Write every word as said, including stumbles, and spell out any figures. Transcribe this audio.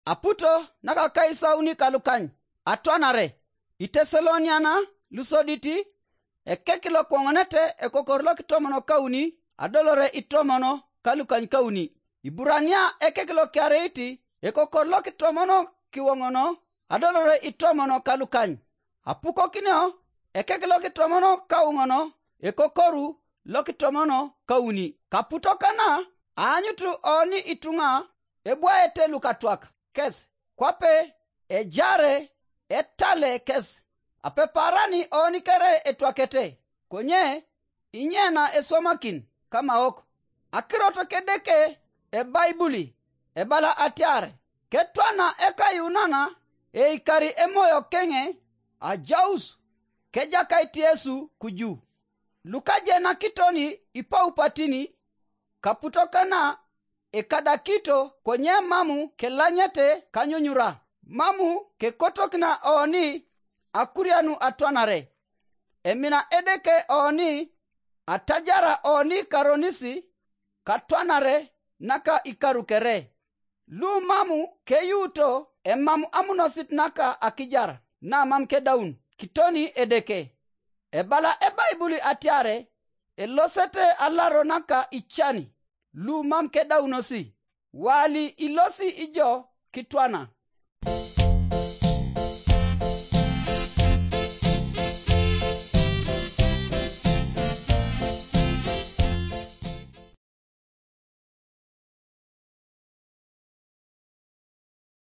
Aputo nakakaisauni kalukany atwanare. Iteseloniana lusoditi, ekek lokwoŋonete ekokor lokitomono kauni adolore itomono kalukany kauni. Iburania ekek lokiareit ekokor lokitomono kiwoŋono adolore itomono kalukany. Apukokinio ekek lokitomono kauŋono ekokoru lokitomono kauni. Kaputo kana aanyutu oni ituŋa ebwaete lukatwak kes, kwape ejare etale kes. Apeparani oni kere etwakete, konye inyena eswamakin kamaok. Akirot kedeke ebaibuli ebala atiar, ketwana ekayunana eikari emoyo keŋe ajaus kejakait Yesu kuju. Lukajenakitoni ipaupatini kaputokana ekadakito konye mamu kelanyete kanyunyura, mamu kekotokina oni akurianu atwanare. Emina Edeke oni atajara oni karonisi katwanare naka ikaru kere. Lu mamu keyuuto emam amunosit naka akijar namam kedaun kitoni Edeke. Ebala ebaibuli atiare elosete alaro naka icani lu mam kedaunosi, wali ilosi ijo kitwana.